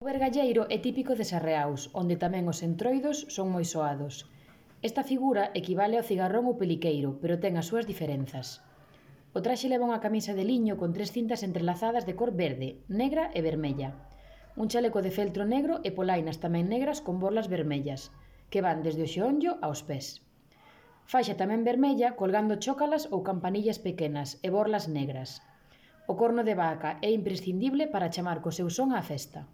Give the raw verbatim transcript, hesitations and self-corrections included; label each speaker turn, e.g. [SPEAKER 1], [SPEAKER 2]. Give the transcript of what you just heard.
[SPEAKER 1] O vergalleiro é típico de Sarreaus, onde tamén os entroidos son moi soados. Esta figura equivale ao cigarrón ou peliqueiro, pero ten as súas diferenzas. O traxe leva unha camisa de liño con tres cintas entrelazadas de cor verde, negra e vermella. Un chaleco de feltro negro e polainas tamén negras con borlas vermellas, que van desde o xeonllo aos pés. Faixa tamén vermella colgando chócalas ou campanillas pequenas e borlas negras. O corno de vaca é imprescindible para chamar co seu son á festa.